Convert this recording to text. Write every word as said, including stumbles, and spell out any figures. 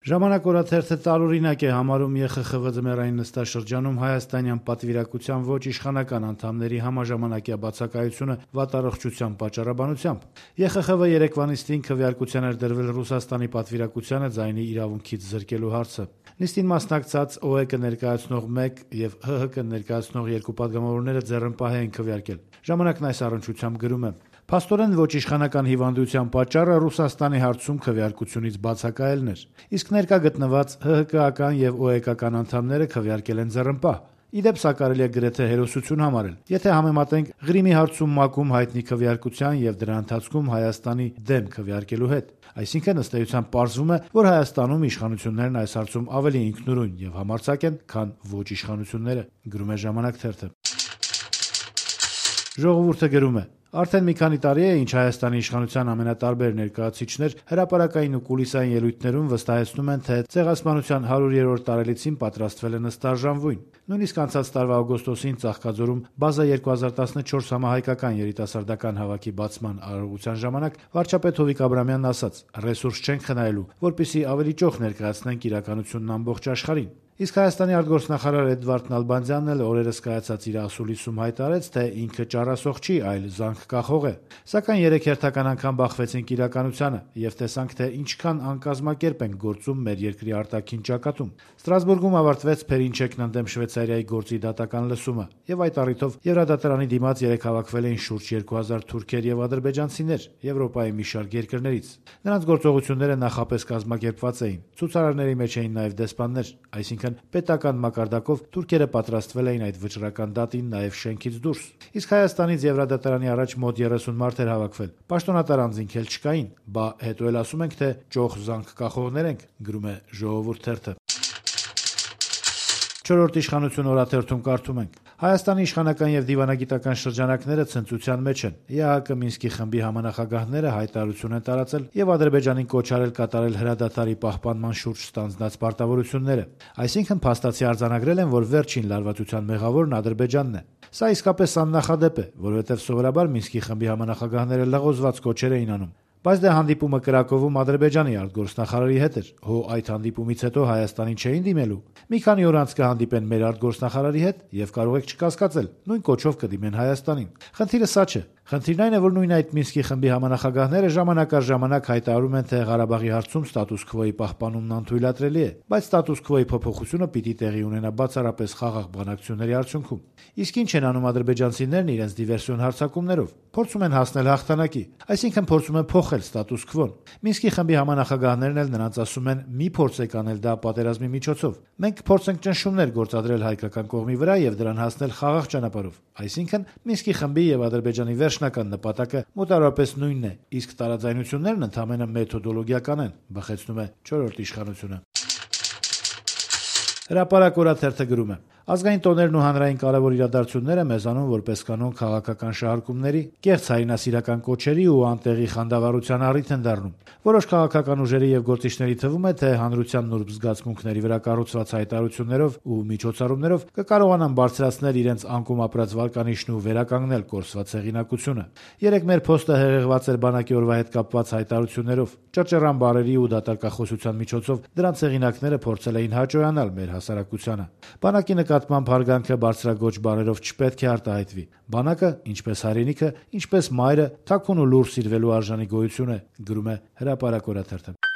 Ժամանակ օրաթերթը տարօրինակ է համարում Է Խ Խ V ձմեռային նստաշրջանում հայաստանյան պատվիրակության ոչ իշխանական անդամների համաժամանակյա բացակայությունը վատառողջության պատճառաբանությամբ։ Է Խ Խ V երեկվա նիստին քվեարկության էր դրվել Ռուսաստանի պատվիրակությանը ձայնի իրավունքից զրկելու հարցը։ Նիստին մասնակցած Օ Է Կը ներկայացնող մեկ եւ Հ Հ Կը ներկայացնող երկու պատգամավորները ձեռնպահ էին քվեարկել։ Ժամանակն այս առնչությամբ գրում է. Փաստորեն ոչ իշխանական հիվանդության պատճառը Ռուսաստանի հարցում քվեարկությունից բացակայելն էր, իսկ ներկա գտնված Հ Հ Կական եւ Օ Է Կական անդամները քվեարկել են ձեռնպահ։ Իդեպ սա կարելի է գրեթե հերոսություն համարել, եթե համեմատենք Ղրիմի հարցում ՄԱԿ-ում հայտնի քվեարկության եւ դրա ընթացքում Հայաստանի դեմ քվեարկելու հետ։ Այսինքն ըստ էության պարզվում է, որ Հայաստանում իշխանություններն այս հարցում ավելի ինքնուրույն եւ համարձակ են, քան ոչ իշխանությունները, գրում է Ժամանակ թերթը։ Ժողովուրդը գրում է. Արդեն մի քանի տարի է, ինչ Հայաստանի իշխանության ամենատարբեր ներկայացուցիչներ հրապարակային ու կուլիսային ելույթներում վստահեցնում են, թե ցեղասպանության հարյուրերորդ տարելիցին պատրաստվել են ըստ արժանվույն։ Նույնիսկ անցած տարվա օգոստոսին Ծաղկաձորում Բազա երկու հազար տասնչորս համահայկական երիտասարդական հավաքի բացման արարողության ժամանակ վարչապետ Հովիկ Աբրամյանն ասաց. «Ռեսուրս չենք խնայելու, որպեսզի ավելի ճոխ ներկայացնենք իրականությունն ամբողջ աշխարհին»։ Իսկ Հայաստանի արտգործնախարար Էդվարդ Նալբանդյանն էլ օրերս կայացած իր ասուլիսում հայտարարեց, թե ինքը ճառասող չի, այլ զանգ կախող է։ Սակայն երեք հերթական անգամ բախվեցինք իրականությանը եւ տեսանք, թե ինչքան անկազմակերպ ենք գործում մեր երկրի արտաքին ճակատում։ Ստրասբուրգում ավարտվեց Փերինչեկն ընդդեմ Շվեյցարիայի գործի դատական լսումը, եւ այդ առիթով Եվրադատարանի դիմաց երեք հավաքվել էին շուրջ երկու հազար թուրքեր եւ ադրբեջանցիներ Եվրոպայի մի շարք երկրներից։ Նրանց գործողությունները նախապես կազմակերպված էին։ Ցուցարարների մեջ էին նաեւ դեսպաններ, այսինքն պետական մակարդակով թուրքերը պատրաստվել էին այդ վճռական դատին նաեւ շենքից դուրս։ Իսկ Հայաստանից Եվրադատարանի առաջ մոտ երեսուն մարդ էր հավաքվել։ Պաշտոնատար անձինք էլ չկային, բա հետո էլ ասում ենք, թե ճոխ զանգ կախողներ ենք, գրում է Ժողովուրդ թերթը։ Չորրորդ իշխանություն օրաթերթում կարդում ենք. Հայաստանի իշխանական եւ դիվանագիտական շրջանակները ցնծության մեջ են։ Է Հ Կ Մինսկի խմբի համանախագահները հայտարարություն են տարածել եւ Ադրբեջանին կոչ արել կատարել հրադադարի պահպանման շուրջ ստանձնած պարտավորությունները։ Այսինքն փաստացի արձանագրել են, որ վերջին լարվածության մեղավորն Ադրբեջանն է։ Սա իսկապես աննախադեպ է, որովհետեւ սովորաբար Մինսկի խմբի համանախագահները լղոզված կոչեր էին անում։ Բայց դե հանդիպումը Կրակովում Ադրբեջանի արտգործնախարարի հետ էր։ Հո այդ հանդիպումից հետո Հայաստանին չէին դիմելու։ Մի քանի օր անց կհանդիպեն մեր արտգործնախարարի հետ եւ կարող եք չկասկածել, նույն կոչով կդիմեն Հայաստանին։ Խնդիրը սա չէ։ Խնդիրն այն է, որ նույն այդ Մինսկի խմբի համանախագահները ժամանակ առ ժամանակ հայտարարում են, թե Ղարաբաղի հարցում ստատուս քվոյի պահպանումն անթույլատրելի է, բայց ստատուս քվոյի փոփոխությունը պիտի տեղի ունենա բացառապես խաղաղ բանակցությունների արդյունքում։ Իսկ ինչ են անում ադրբեջանցիներն իրենց դիվերսիոն հարձակումներով։ Փորձում են հասնել հաղթանակի, այսինքն փորձում են փոխել ստատուս քվոն։ Մինսկի խմբի համանախագահներն էլ նրանց ասում են՝ մի փորձեք անել դա պատերազմի միջոցով։ Մենք փորձենք ճնշումներ գործադրել հայկական կողմի վրա եւ դրան հասնել խաղաղ ճանապարհով։ Այսինքն Մինսկի խմբի եւ Ադրբեջանի վերջնական նպատակը մոտավորապես նույնն է, իսկ տարաձայնություններն ընդհանրապես մեթոդոլոգիական են, բխեցնում է չորրորդ իշխանությունը։ Հրապարակ օրաթերթը գրում է. Ազգային տոներն ու հանրային կարևոր իրադարձությունները մեզանում որպես կանոն քաղաքական շահարկումների, կեղծ հայրենասիրական կոչերի ու անտեղի խանդավառության առիթ են դառնում։ Որոշ քաղաքական ուժերի եւ գործիչների թվում է, թե հանրության նուրբ զգացմունքների վրա կառուցված հայտարարություններով ու միջոցառումներով կկարողանան բարձրացնել իրենց անկում ապրած վարկանիշն ու վերականգնել կորսված հեղինակությունը։ Երեք մեր փոստը հեղեղված էր բանակի օրվա հետ կապված հայտարարություններով, ճռճռան բառերի ու դատարկախոսության միջոցով դրանց հեղինակները փորձել էին հաճոյանալ մեր հասարակությանը։ Բանակի նկատմամբ հարգանքը բարձրագոչ բառերով չպետք է արտահայտվի։ Բանակը, ինչպես հայրենիքը, ինչպես մայրը, թաքուն ու լուռ սիրվելու արժանի գոյություն է, գրում է Հրապարակ օրաթերթը։